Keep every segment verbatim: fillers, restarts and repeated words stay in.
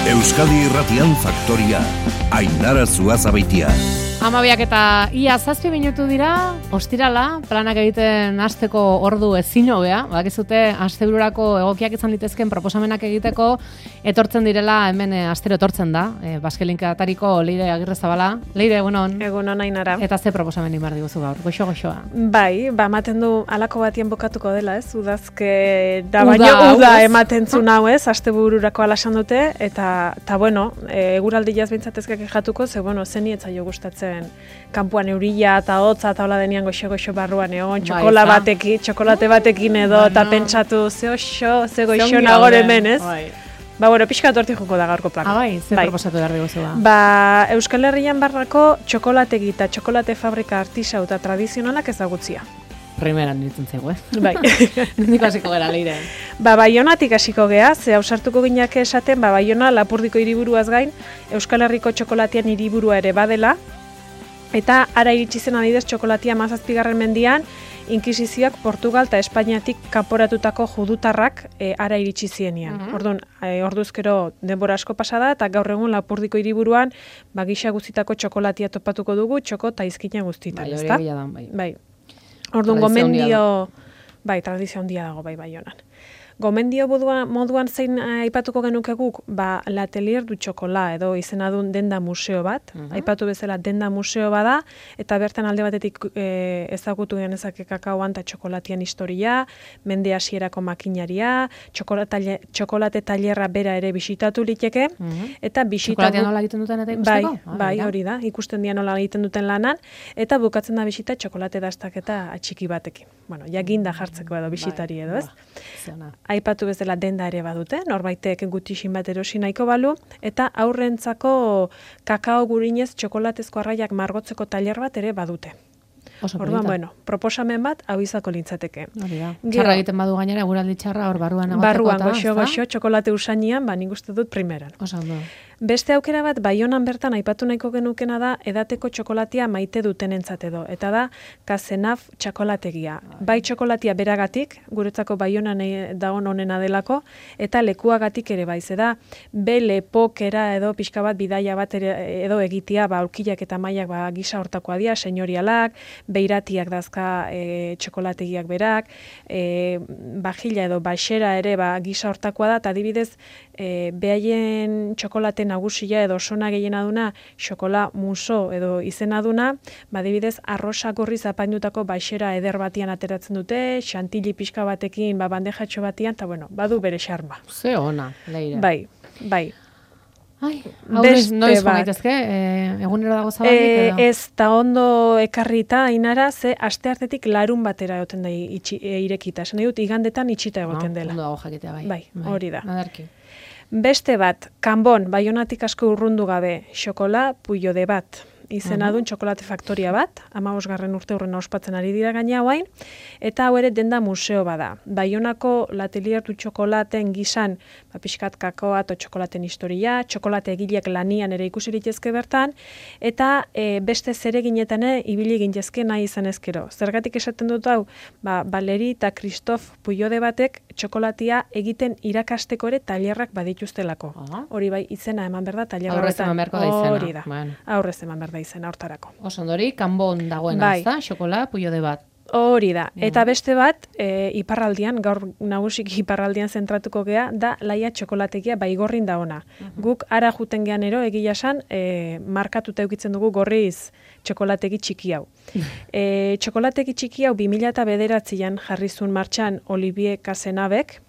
Euskadi Irratian Faktoria, Ainara Zuazabeitia. Amabiak eta ia zazpi minutu dira, ostirala, planak egiten hasteko ordu ezin hobea, bakizute astebururako egokiak izan litezken proposamenak egiteko etortzen direla, hemen e, astero etortzen da, e, Baskelinkatariko Leire Agirrezabala. Leire, egunon. Egunon, Ainara. Eta ze proposamen imar diguzu gaur, goxo-goxoa. Bai, ba, ematen du alako batien bokatuko dela, ez? Udazke da baino uda, uda ematen zuen hau, ez? Astebururako alasan dute, eta, ta bueno, e, eguraldi jaz bintzatezkak jatuko, ze, bueno, zeni etzaio gustatzen kanpuan eurila eta hotza eta hola denian goxo-goxo barruan egon, txokola batekin, txokolate batekin edo, eta bueno, pentsatu, ze oso, ze goxo nagor hemen, ez? Bai. Ba, bueno, pixka torti joko da gaurko plaka. Ah, bai, ze bai. Proposatu behar diguzu da? Ba, Euskal Herrian barrako txokolategi eta txokolate fabrika artisau eta tradizionalak ezagutzia. Primeran nintzen zego, eh? Bai. Nindiko hasiko gara, Leire. Ba, Baionatik hasiko gea, ze ausartuko ginak esaten, ba, Baiona Lapurdiko hiriburuaz gain, Euskal Herriko txokolatian hiriburua ere badela, eta ara iritsi zen adidez txokolatia hamazazpigarren mendian, inkisizioak Portugal eta Espainiatik kanporatutako judutarrak e, ara iritsi zienean. Uh-huh. Orduan, e, orduzkero denbora asko pasada eta gaur egun Lapurdiko hiriburuan ba gisa guztitako txokolatia topatuko dugu, txoko eta izkina guztitan, bai, ezta? Bai, bai. Orduan gomendio, bai, tradizio handia dago bai Baionan. Gomendio moduan, moduan zein aipatuko genuke guk, ba, L'Atelier du Chocolat edo izena duen denda museo bat, uh-huh. aipatu bezala denda museo bada, eta bertan alde batetik e, ezagutu genezake kakaoan eta txokolatian historia, mende hasierako makinaria, txokolate, txokolate tailerra bera ere bisitatu liteke, uh-huh. eta bisitatu... Txokolatian nola egiten duten eta ikusteko? Bai, bai, hori da, ikusten dian nola egiten duten lanan, eta bukatzen da bisita txokolate dastaketa atxiki batekin. Bueno, jaginda jartzeko edo bisitari edo, ez? Ba, aipatu bezala denda ere badute, norbaitek gutixin bat erosi nahiko balu, eta aurrentzako kakao gurinez txokolatezko arraiak margotzeko tailer bat ere badute. Orduan, bueno, proposamen bat hau izako lintzateke. Hori da. Txarra egiten badu gainera, eguraldi txarra hor barruan egoteko. Barruan, goxo-goxo, txokolate usainean, ba, nik uste dut primeran. Oso ondo. Beste aukera bat, Baionan bertan aipatu nahiko genukena da, edateko txokolatia maite dutenentzat edo. Eta da, Kazenaf txokolategia. Bai txokolatia beragatik, guretzako Baionan dagoen onena delako, eta lekuagatik ere bai. Zeda, be lepokera edo pixka bat bidaia bat ere, edo egitea, ba, aurkilak eta mailak ba, gisa hortakoa dira, senyorialak, beiratiak dazka e, txokolategiak berak, e, bajila edo baxera ere ba, gisa hortakoa da, eta adibidez, e, behaien txokolate nagusia edo sona gehiena duna, xokola muso edo izena duna, badibidez arrosa gorriz apaindutako baxera eder batian ateratzen dute, xantili pixka batekin, ba, bandejatxo batian, eta bueno, badu bere xarma. Ze ona, Leire. Bai, bai. Ai, beste noiz gaitezke, e, egunero dago zabalik edo? Ez, ta ondo ekarrita, Ainara, ze aste artetik larun batera egoten da itxi, e, irekita. Esan dut, igandetan itxita egoten dela. Ondo dago jakitea, bai. Bai, hori da. Adarki. Beste bat, Kanbon, Baionatik asko urrundu gabe, xokola puyo de bat. Izena duen txokolate faktoria bat, hamabosgarren urte hurrena ospatzen ari dira gaina hauain, eta hau ere denda museo bada. Baionako L'Atelier du Chocolaten gizan, ba, pixkat kakoa eta txokolaten historia, txokolate egileak lanian ere ikusi litezke bertan, eta e, beste zereginetan ere ibili gintezke nahi izan ezkero. Zergatik esaten dut hau, ba, Valeri eta Christophe Puyode batek txokolatia egiten irakasteko ere tailerrak badituztelako. Hori bai, izena eman berda tailer horretan. Aurrez eman beharko da izena. Hori da, bueno. Aurrez eman berda izena hortarako. Oso ondori, Kanbon dagoen bai. azta, xokola, Puyode bat. Hori da. Eta beste bat, e, iparraldian, gaur nagusik iparraldian zentratuko gea, da laia txokolategia baigorrin da ona. Uh-huh. Guk ara juten gean ero, egia esan, e, markatuta eukitzen dugu gorriz txokolategi txiki hau. e, txokolategi txiki hau bi mila bederatzian jarrizun martxan Olivier Cazenabek,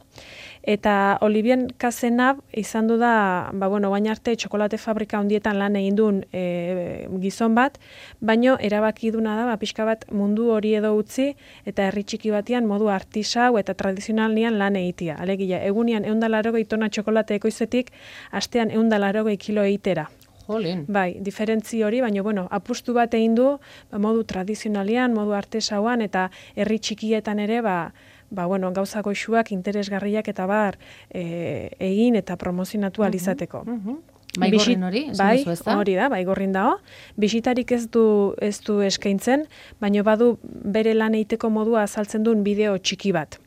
eta Olivier Cazenab izan du da, ba, bueno, bain arte txokolate fabrika handietan lan egin duen e, gizon bat, baino erabaki duna da, ba, pixka bat mundu hori edo utzi, eta herri txiki batean modu artisau eta tradizionalian lan egitea. Alegia, egunian ehun eta laurogei tona txokolate ekoizetik, astean ehun eta laurogei kilo egitera. Jolin. Bai, diferentzi hori, baina, bueno, apustu bat egin du, ba, modu tradizionalian, modu artesauan, eta herri txikietan ere, ba, ba, bueno, gauza goxuak, interesgarriak eta bar e, egin eta promozionatu alizateko. Uh -huh. Baigorrin hori, bai, hori da, baigorrin dago. Bisitarik ez du, ez du eskaintzen, baina badu bere lan egiteko modua azaltzen duen bideo txiki bat.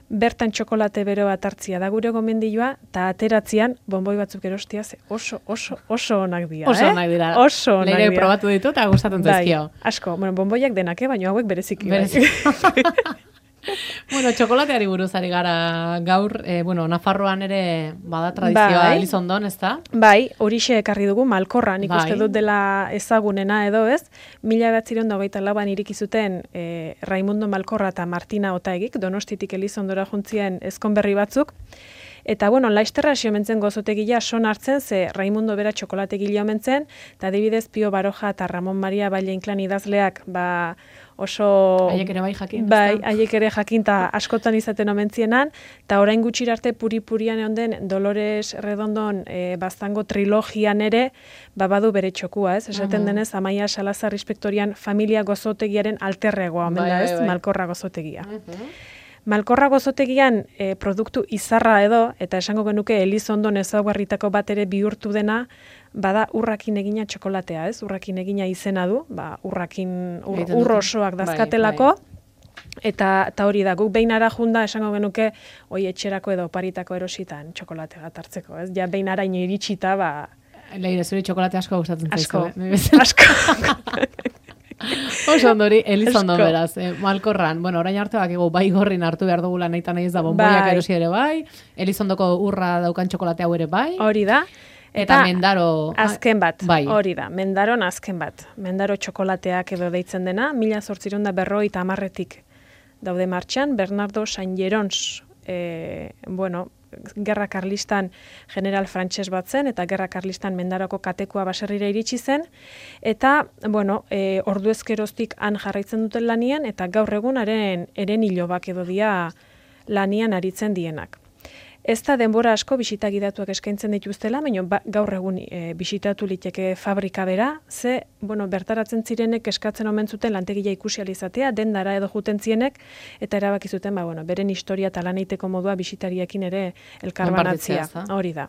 bertan txokolate bero bat hartzia da gure gomendioa, eta ateratzean bonboi batzuk erostia, ze oso, oso, oso onak dira, Oso eh? onak dira. Oso onak Leire dira. probatu ditu eta gustatzen zaizkio. Bai, asko, bueno, bonboiak denak, eh? Baina hauek bereziki. Bereziki. Bai. Bueno, txokolateari buruz ari gara gaur, eh, bueno, Nafarroan ere bada tradizioa Bai. Elizondon, ez da? Bai, horixe ekarri dugu Malkorra, nik Bai. uste dut dela ezagunena edo ez. Mila batziron da hogeita lauan iriki zuten e, Raimundo Malkorra eta Martina Otaegik, Donostitik Elizondora juntzien ezkonberri batzuk. Eta, bueno, laisterra hasi omentzen gozotegia son hartzen, ze Raimundo bera txokolategile omentzen, eta adibidez Pio Baroja eta Ramon Maria Valle Inclán idazleak, ba, oso... Haiek ere bai jakin. Bai, ezta? haiek ere jakin eta askotan izaten omentzienan, eta orain gutxira arte puri-purian egon den Dolores Redondon e, baztango trilogian ere, ba, badu bere txokua, ez? Esaten Mhm. denez, Amaia Salazar inspektorian familia gozotegiaren alterregoa, omen Bai, da, bai, ez? bai. Malkorra gozotegia. Mhm. Malkorra gozotegian e, produktu izarra edo, eta esango genuke Elizondon ezaugarritako bat ere bihurtu dena, bada urrakin egina txokolatea, ez? Urrakin egina izena du, ba, urrakin, ur, Egiten ur dute. osoak Bai, dazkatelako, eta, eta hori da, guk behin ara junda esango genuke, oi etxerako edo oparitako erositan txokolate bat hartzeko, ez? Ja behin araino iritsita, ba, Leire, zuri txokolate asko gustatzen asko, zaizu. eh? asko. Oso ondori, Elizondon Asko. beraz, eh, Malkorran. Bueno, orain arte bakigu bai gorrin hartu behar dugula nahi eta nahi ez da bonboiak Bai. erosi ere bai, Elizondoko urra daukan txokolate hau ere bai, Hori da. eta Mendaro... Azken bat, Bai. hori da, Mendaron azken bat. Mendaro txokolateak edo deitzen dena, mila zortziron da berroita amarretik daude martxan, Bernardo San Jerons, e, bueno, Gerra Karlistan general frantses bat zen, eta Gerra Karlistan Mendaroko katekua baserrira iritsi zen, eta, bueno, e, ordu ezkeroztik han jarraitzen duten lanian, eta gaur egunaren eren hilobak edo dia lanian aritzen dienak. Ez da denbora asko bisita gidatuak eskaintzen dituztela, baina ba, gaur egun e, bisitatu liteke fabrika bera, ze, bueno, bertaratzen zirenek eskatzen omen zuten lantegia ikusi ahal izatea, dendara edo juten zienek, eta erabaki zuten, ba, bueno, beren historia eta lan egiteko modua bisitariekin ere elkarbanatzea. Konpartitzea, ezta? Hori da.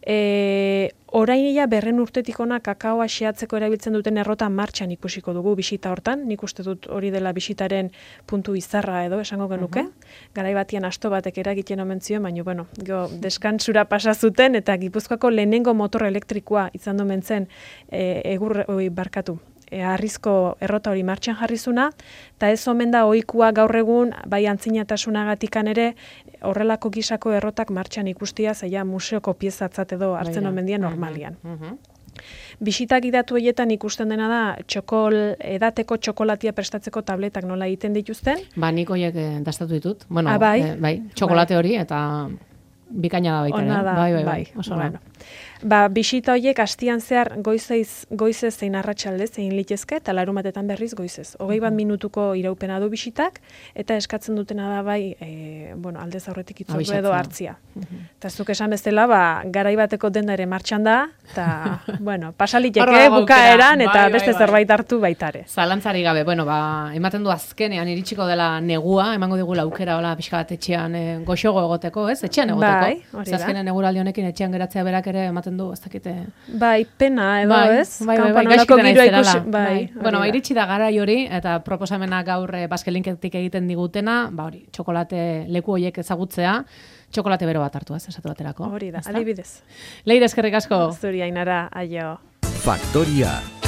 E, orain ia berren urtetik ona kakaoa xeatzeko erabiltzen duten errota martxan ikusiko dugu bisita hortan, nik uste dut hori dela bisitaren puntu izarra edo esango genuke. Garai batian asto batek eragiten omen zion, baina bueno, go, deskantsura pasa zuten eta Gipuzkoako lehenengo motor elektrikoa izan domen zen e, egur oi, barkatu. E, arrizko errota hori martxan jarrizuna, eta ez omen da ohikoa gaur egun, bai antzinatasunagatikan ere, horrelako gisako errotak martxan ikustia, zaila museoko piezatzat edo hartzen Bai da. omen dien Mhm, normalian. mhm. Bisitak gidatu horietan ikusten dena da, txokol, edateko txokolatia prestatzeko tabletak nola egiten dituzten. Ba, nik horiek eh, dastatu ditut. Bueno, Ah, bai? eh, bai, txokolate hori eta bikaina da baita ere. Ona da, bai, bai, bai, bai, oso ona. bueno. Ba, bisita horiek astian zehar goizez, goizez zein arratsalde zein litezke, eta larumatetan berriz goizez. Hogei bat minutuko iraupena du bisitak, eta eskatzen dutena da bai, e, bueno, aldez aurretik itzordu Abisatzea. edo hartzia. Eta zuk esan bezala, ba, garai bateko denda ere martxan da, eta, bueno, Hor pasaliteke dago bukaeran, aukera. eta Bai, beste bai, bai. zerbait hartu baitare. Zalantzari gabe, bueno, ba, ematen du azkenean iritsiko dela negua, emango digula aukera hola pixka bat etxean e, goxogo egoteko, ez? Etxean egoteko. Bai, hori Ze da. azkenean eguraldi honekin etxean geratzea berak ere ematen du, ez dakite. Bai, pena edo, Bai, ez? bai, bai, bai, Kanpoan holako gaizki dena giroa izterala. ikusi- bai, hori Bueno, ba, da. iritsi da garai hori, eta proposamena gaur e, baskelinketik egiten digutena, ba hori, txokolate leku horiek ezagutzea, txokolate bero bat hartu, ez, esatu baterako. Hori da, ezta? adibidez. Leire, eskerrik asko. Zuri Ainara, aio. Faktoria